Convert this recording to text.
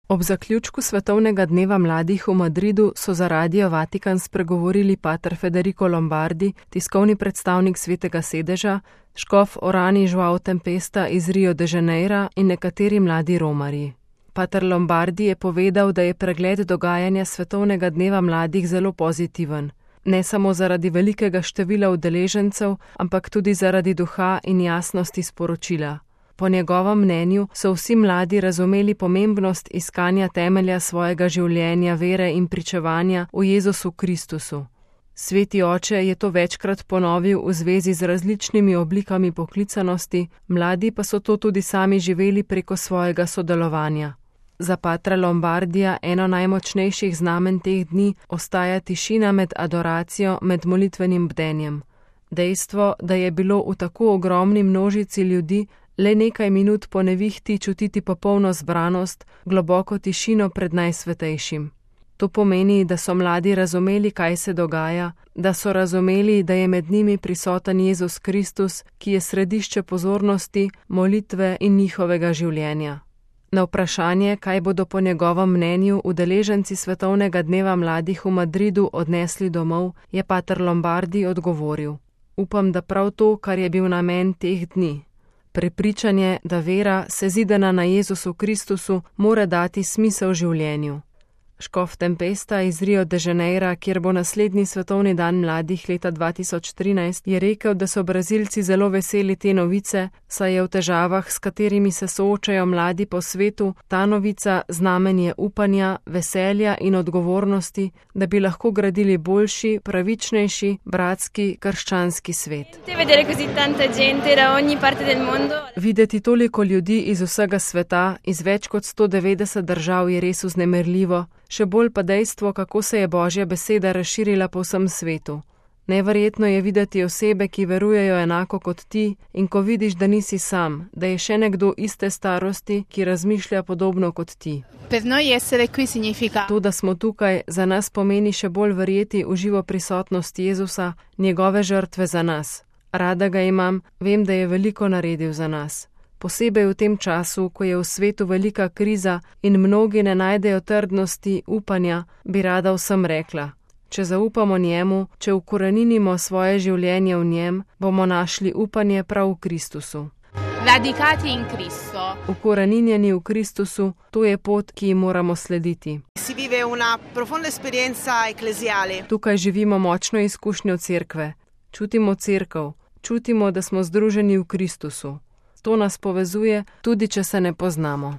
Ob zaključku Svetovnega dneva mladih v Madridu so za Radio Vatikan spregovorili pater Federico Lombardi, tiskovni predstavnik Svetega sedeža, škof Orani João Tempesta iz Rio de Janeira in nekateri mladi romarji. Pater Lombardi je povedal, da je pregled dogajanja Svetovnega dneva mladih zelo pozitiven. Ne samo zaradi velikega števila udeležencev, ampak tudi zaradi duha in jasnosti sporočila. Po njegovem mnenju so vsi mladi razumeli pomembnost iskanja temelja svojega življenja, vere in pričevanja v Jezusu Kristusu. Sveti oče je to večkrat ponovil v zvezi z različnimi oblikami poklicanosti, mladi pa so to tudi sami živeli preko svojega sodelovanja. Za patra Lombardija eno najmočnejših znamen teh dni ostaja tišina med adoracijo, med molitvenim bdenjem. Dejstvo, da je bilo v tako ogromni množici ljudi le nekaj minut po nevihti čutiti popolno zbranost, globoko tišino pred najsvetejšim. To pomeni, da so mladi razumeli, kaj se dogaja, da so razumeli, da je med njimi prisoten Jezus Kristus, ki je središče pozornosti, molitve in njihovega življenja. Na vprašanje, kaj bodo po njegovem mnenju udeleženci Svetovnega dneva mladih v Madridu odnesli domov, je pater Lombardi odgovoril: Upam, da prav to, kar je bil namen teh dni. Prepričanje, da vera, sezidana na Jezusu Kristusu, mora dati smisel življenju. Škof Tempesta iz Rio de Janeira, kjer bo naslednji svetovni dan mladih leta 2013, je rekel, da so Brazilci zelo veseli te novice, saj je v težavah, s katerimi se soočajo mladi po svetu, ta novica znamenje upanja, veselja in odgovornosti, da bi lahko gradili boljši, pravičnejši, bratski, krščanski svet. Videti toliko ljudi iz vsega sveta, iz več kot 190 držav je res vznemirljivo, še bolj pa dejstvo, kako se je Božja beseda razširila po vsem svetu. Neverjetno je videti osebe, ki verujejo enako kot ti, in ko vidiš, da nisi sam, da je še nekdo iste starosti, ki razmišlja podobno kot ti. To, da smo tukaj, za nas pomeni še bolj verjeti v živo prisotnost Jezusa, njegove žrtve za nas. Rada ga imam, vem, da je veliko naredil za nas. Posebej v tem času, ko je v svetu velika kriza in mnogi ne najdejo trdnosti, upanja, bi rada vsem rekla: če zaupamo njemu, če ukoreninimo svoje življenje v njem, bomo našli upanje prav v Kristusu. Ukoreninjeni v Kristusu, to je pot, ki ji moramo slediti. Tukaj živimo močno izkušnjo cerkve. Čutimo cerkev, čutimo, da smo združeni v Kristusu. To nas povezuje, tudi če se ne poznamo.